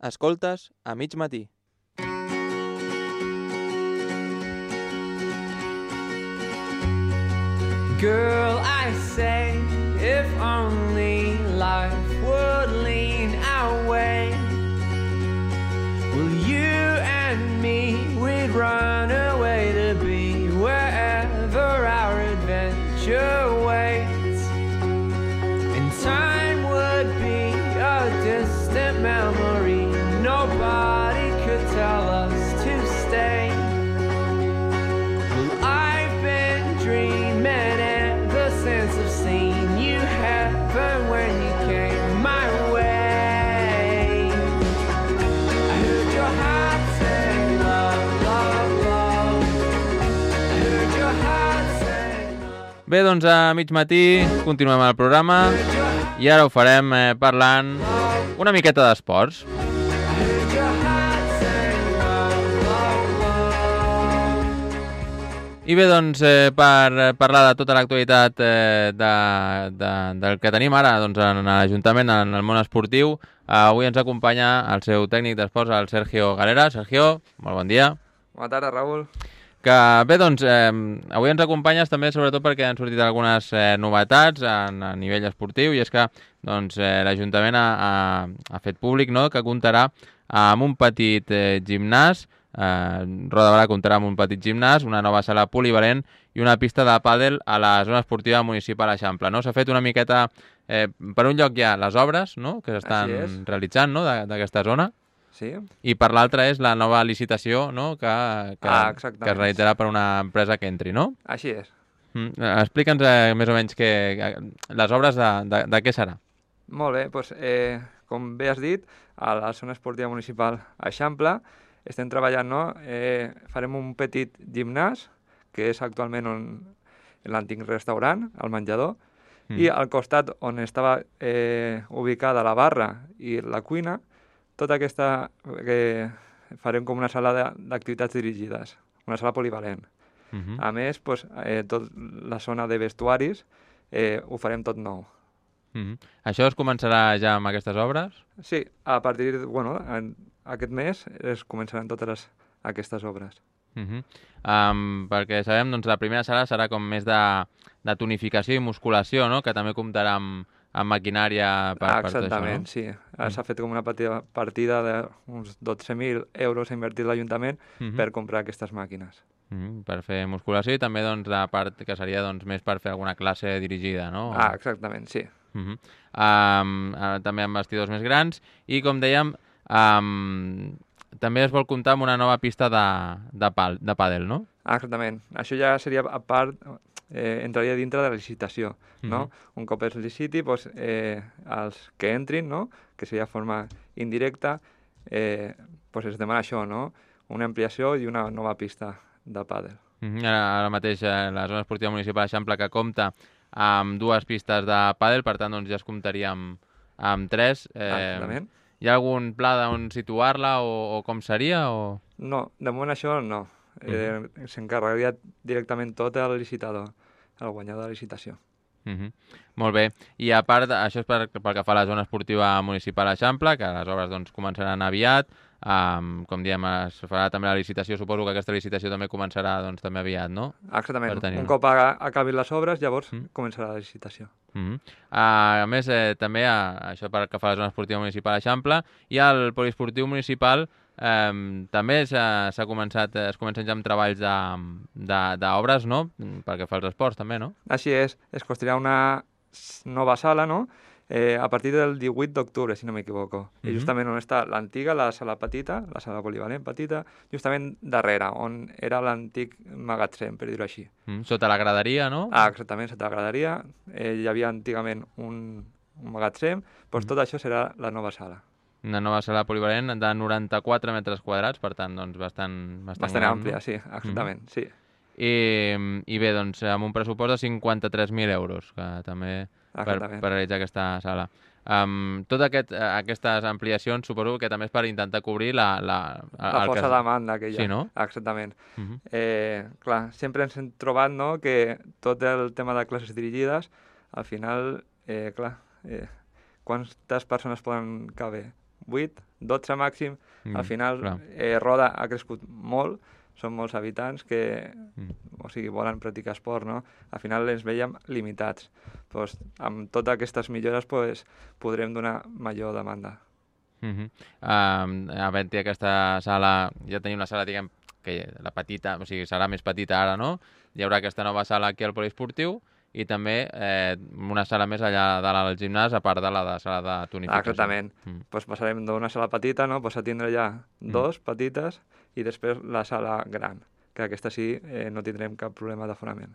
Escoltes a mig matí. Girl, I say, if only life would lean our way, well, you and me, we'd run away to be wherever our adventure waits, and time would be a distant memory. Nobody could tell us to stay. Well, I've been dreaming ever since I've seen you heaven when you came my way. I heard your heart say love, love, love. I heard your heart say love. Bé, doncs a mig matí continuem el programa i ara ho farem parlant una miqueta d'esports. I bé, doncs, per parlar de tota l'actualitat del que tenim ara doncs, en l'Ajuntament, en el món esportiu, avui ens acompanya el seu tècnic d'esports, el Sergio Galera. Sergio, molt bon dia. Bona tarda, Raül. Que bé, doncs, avui ens acompanyes també sobretot perquè han sortit algunes novetats a nivell esportiu i és que doncs, l'Ajuntament ha fet públic, no?, que comptarà amb un petit gimnàs. Roda de Berà comptarà amb un petit gimnàs, una nova sala polivalent i una pista de pàdel a la zona esportiva municipal Eixample, no? S'ha fet una miqueta, per un lloc hi ha les obres, no?, que s'estan realitzant, no?, d'aquesta zona. Sí. I per l'altra és la nova licitació, no?, que es realitzarà per una empresa que entri, no? Així és. Explica'ns més o menys les obres de què serà. Molt bé, doncs, com bé has dit, a la zona esportiva municipal Eixample estem treballant, no? Farem un petit gimnàs, que és actualment l'antic restaurant, el menjador, i al costat on estava ubicada la barra i la cuina, tota aquesta farem com una sala d'activitats dirigides, una sala polivalent. A més, doncs, tota la zona de vestuaris ho farem tot nou. Això es començarà ja amb aquestes obres? Sí, a partir aquest mes es començaran totes aquestes obres. Perquè sabem, doncs, la primera sala serà com més de tonificació i musculació, no?, que també comptarà amb maquinària per tot això, no? Exactament, sí. S'ha fet com una partida d'uns 12.000 euros ha invertit l'Ajuntament per comprar aquestes màquines. Per fer musculació i també doncs, la part que seria doncs, més per fer alguna classe dirigida, no? Exactament, sí. També amb vestidors més grans i, com dèiem, també es vol comptar amb una nova pista de pàdel, no? Exactament. Això ja seria a part, entraria dintre de la licitació, no? Un cop es liciti, doncs, els que entrin, no?, que seria de forma indirecta, doncs es demana això, no?, una ampliació i una nova pista de pàdel. Ara mateix la zona esportiva municipal Eixample que compta amb 2 pistes de pàdel, per tant doncs, ja es comptaria amb 3. Exactament. Hi ha algun pla d'on situar-la o com seria? O... No, de moment això no. S'encarregaria directament tot el licitador, el guanyador de la licitació. Molt bé. I a part, això és pel que fa a la zona esportiva municipal Eixample, que les obres doncs, començaran aviat. Com diem, es farà també la licitació. Suposo que aquesta licitació també començarà doncs, també aviat, no? Exactament. Un cop acabin les obres, llavors començarà la licitació. A més, també, això pel que fa a la zona esportiva municipal Eixample, i al poliesportiu municipal també es comencen ja amb treballs d'obres, no?, pel que fa als esports també, no? Així és. Es construirà una nova sala, no?, a partir del 18 d'octubre, si no m'equivoco. I justament on està l'antiga, la sala petita, la sala polivalent petita, justament darrere, on era l'antic magatzem, per dir-ho així. Sota la graderia, no? Exactament, sota la graderia. Hi havia antigament un magatzem, doncs tot això serà la nova sala. Una nova sala polivalent de 94 metres quadrats, per tant, doncs, bastant gran, àmplia, no? sí, exactament, sí. I bé, doncs, amb un pressupost de 53.000 euros, que també per realitzar aquesta sala. Totes aquestes ampliacions suposo que també és per intentar cobrir la força demanda que hi ha. Sí, no? Exactament. Clar, sempre ens hem trobat, no?, que tot el tema de classes dirigides, al final, quantes persones poden caber? 8, 12 màxim. Al final, Roda ha crescut molt, són molts habitants que volen practicar esport, no? Al final ens veiem limitats. Pues, amb totes aquestes millores podrem donar major demanda. Havent-hi aquesta sala, ja tenim la sala, diguem, que la petita, o sigui, serà més petita ara, no? Hi haurà aquesta nova sala aquí al poliesportiu i també una sala més allà dalt al gimnàs, a part de la sala de tonificació. Exactament. Pues passarem d'una sala petita, no? Pues a tindre ja dos petites i després la sala gran, que aquesta sí no tindrem cap problema d'aforament.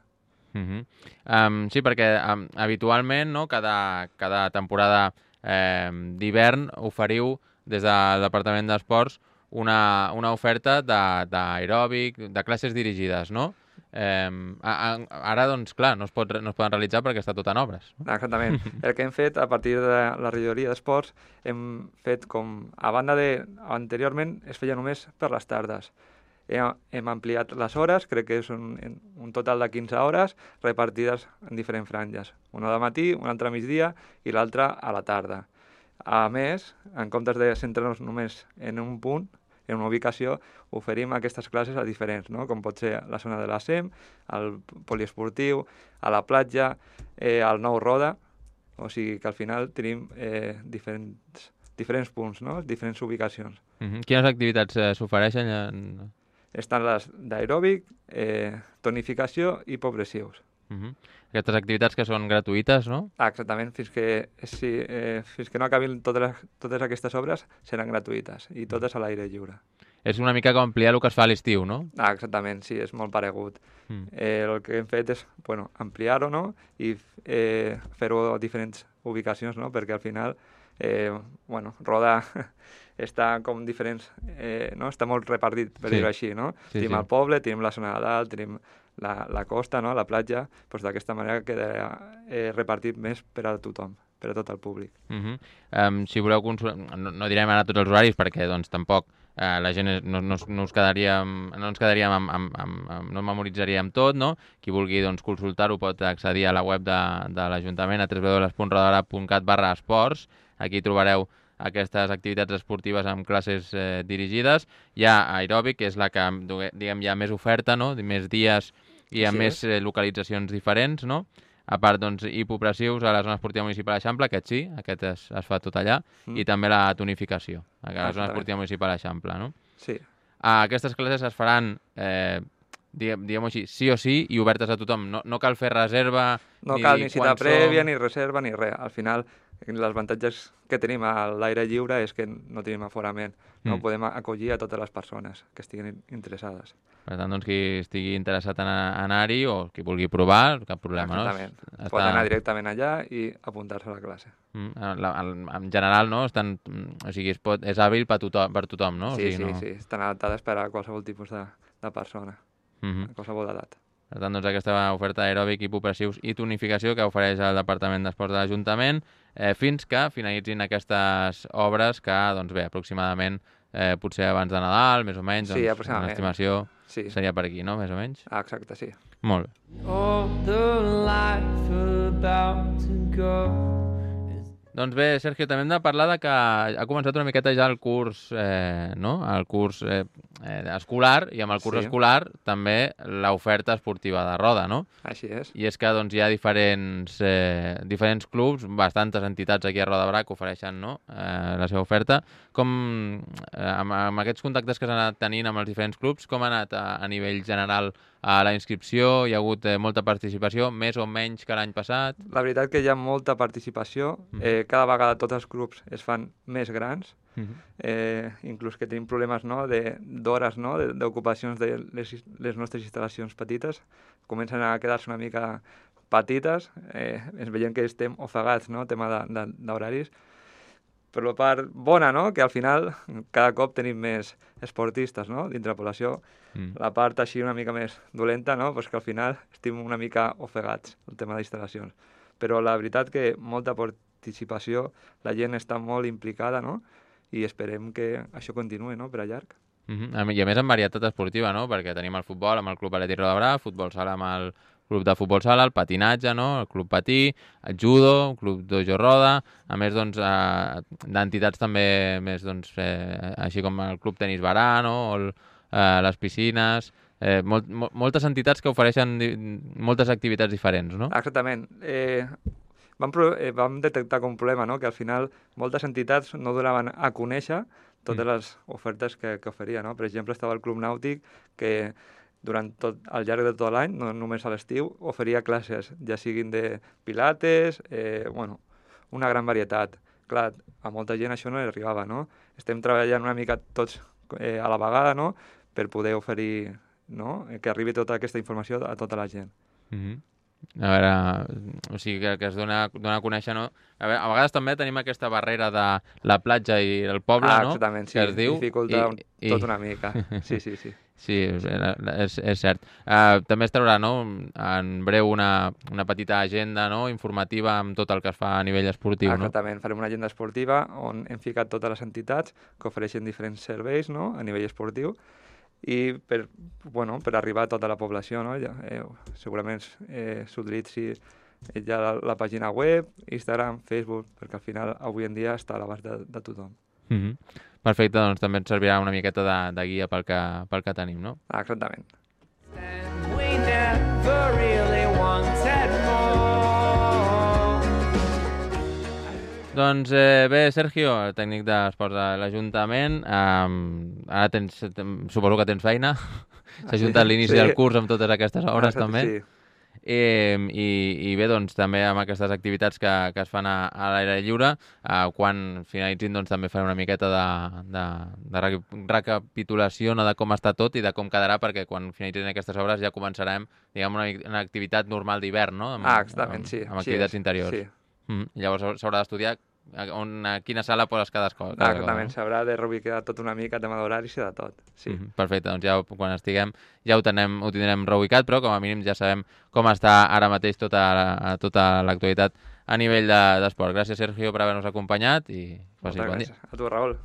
Sí, perquè habitualment, no, cada temporada d'hivern oferiu des del Departament d'Esports una oferta d'aeròbic, de classes dirigides, no? Ara, doncs, clar, no es poden realitzar perquè està tot en obres. Exactament. El que hem fet a partir de la regidoria d'esports, hem fet com, a banda de, anteriorment es feia només per les tardes. Hem ampliat les hores, crec que és un total de 15 hores repartides en diferents franges. Una de matí, una altra a migdia i l'altra a la tarda. A més, en comptes de centrar-nos només en un punt, en una ubicació, oferim aquestes classes a diferents, no? Com pot ser la zona de la SEM, al poliesportiu, a la platja, al nou Roda, o sigui que al final tenim diferents punts, no? Diferents ubicacions. Quines activitats s'ofereixen? Estan les d'aeròbic, tonificació i progressius. Aquestes activitats que són gratuïtes, no? Exactament, fins que no acabin totes aquestes obres seran gratuïtes i totes a l'aire lliure. És una mica com ampliar el que es fa a l'estiu, no? Exactament, sí, és molt paregut. El que hem fet és ampliar-ho, no? I fer-ho a diferents ubicacions, no? Perquè al final Roda està com diferents, no? Està molt repartit, per dir-ho així, no? Tenim el poble, tenim la zona de dalt, tenim la costa, no? La platja, doncs d'aquesta manera quedarà repartit més per a tothom, per a tot el públic. Si voleu consultar, no direm ara tots els horaris perquè doncs tampoc la gent no ens quedaríem no memoritzaríem tot, no? Qui vulgui doncs consultar-ho pot accedir a la web de l'Ajuntament a www.rodara.cat/esports. Aquí trobareu aquestes activitats esportives amb classes dirigides. Hi ha aeròbic, que és la que, diguem, hi ha més oferta, no? Més dies i amb més localitzacions diferents, no? A part, doncs, hipopressius a la zona esportiva municipal d'Eixample, aquest es fa tot allà, i també la tonificació, a la zona esportiva municipal d'Eixample, no? Sí. Aquestes classes es faran, diguem-ho així, sí o sí, i obertes a tothom. No cal fer reserva, no cal ni cita prèvia, ni reserva, ni res. Al final, els avantatges que tenim a l'aire lliure és que no tenim aforament. No podem acollir a totes les persones que estiguin interessades. Per tant, doncs, qui estigui interessat en anar-hi o qui vulgui provar, cap problema, no? Exactament. Pot anar directament allà i apuntar-se a la classe. En general, no? O sigui, és hàbil per tothom, no? Sí, estan adaptades per a qualsevol tipus de persona, a qualsevol edat. Per tant, doncs, aquesta oferta aeròbic, hipopressius i tonificació que ofereix el Departament d'Esports de l'Ajuntament fins que finalitzin aquestes obres que, doncs bé, aproximadament potser abans de Nadal, més o menys, sí, aproximadament. L'estimació seria per aquí, no? Més o menys? Exacte, sí. Molt bé. All the life about to go. Doncs bé, Sergio, també hem de parlar de que ha començat una miqueta ja el curs, no? El curs escolar, i amb el curs escolar també l'oferta esportiva de Roda, no? Així és. I és que doncs, hi ha diferents clubs, bastantes entitats aquí a Roda de Berà que ofereixen, no? La seva oferta. Com, amb aquests contactes que s'han anat tenint amb els diferents clubs, com ha anat a nivell general a la inscripció? Hi ha hagut molta participació, més o menys que l'any passat? La veritat que hi ha molta participació. Cada vegada tots els clubs es fan més grans, inclús que tenim problemes, no? d'hores, no? D'ocupacions de les nostres instal·lacions petites. Comencen a quedar-se una mica petites, ens veiem que estem ofegats, no? Tema d'horaris. Per la part bona, no? Que al final cada cop tenim més esportistes, no? Dintre la població. La part així una mica més dolenta, no? Pues que al final estem una mica ofegats, el tema d'instal·lacions. Però la veritat que molta participació, la gent està molt implicada, no? I esperem que això continuï, no? Per a llarg. I a més amb varietat esportiva, no? Perquè tenim el futbol amb el Club Atlètic Roda de Berà, futbol sala amb el club de futbol sala, el patinatge, no? El club patí, el judo, el club dojo roda, a més doncs, d'entitats també més, doncs, així com el club tenis barà, no? O les piscines, moltes entitats que ofereixen moltes activitats diferents, no? Exactament. Vam detectar com un problema, no? Que al final moltes entitats no donaven a conèixer totes les ofertes que oferia, no? Per exemple, estava el Club Nàutic que al llarg de tot l'any, no només a l'estiu, oferia classes, ja siguin de pilates, una gran varietat. Clar, a molta gent això no li arribava, no? Estem treballant una mica tots a la vegada, no?, per poder oferir, no?, que arribi tota aquesta informació a tota la gent. A veure, o sigui, que es dona a conèixer, no? A vegades també tenim aquesta barrera de la platja i el poble, no? Exactament, sí, que es diu, dificulta tot una mica. Sí. Sí, és cert. També es traurà, no?, en breu una petita agenda, no?, informativa amb tot el que es fa a nivell esportiu, no? Exactament, farem una agenda esportiva on hem ficat totes les entitats que ofereixen diferents serveis, no?, a nivell esportiu, i per arribar a tota la població, no? Segurament s'utilitzi ja la pàgina web, Instagram, Facebook, perquè al final avui en dia està a l'abast de tothom. Perfecte, doncs també ens servirà una miqueta de guia pel que tenim, no? Exactament. We never really wanted more. Doncs bé, Sergio, tècnic d'esports de l'Ajuntament, ara suposo que tens feina, s'ha ajuntat l'inici del curs amb totes aquestes obres també. Sí. I bé, doncs també amb aquestes activitats que es fan a l'aire lliure, quan finalitzin doncs també farem una miqueta de recapitulació, no, de com està tot i de com quedarà, perquè quan finalitzin aquestes obres ja començarem, diguem, una activitat normal d'hivern, no? Exactament, sí. Amb activitats interiors. Sí. Llavors s'haurà d'estudiar a quina sala poses cada cosa. Exactament, s'haurà de reubicar tot una mica, tema d'horaris i de tot. Sí. Perfecte, doncs ja quan estiguem ja ho tindrem reubicat, però com a mínim ja sabem com està ara mateix tota l'actualitat a nivell d'esport. Gràcies, Sergio, per haver-nos acompanyat i passi bon dia. A tu, Raül.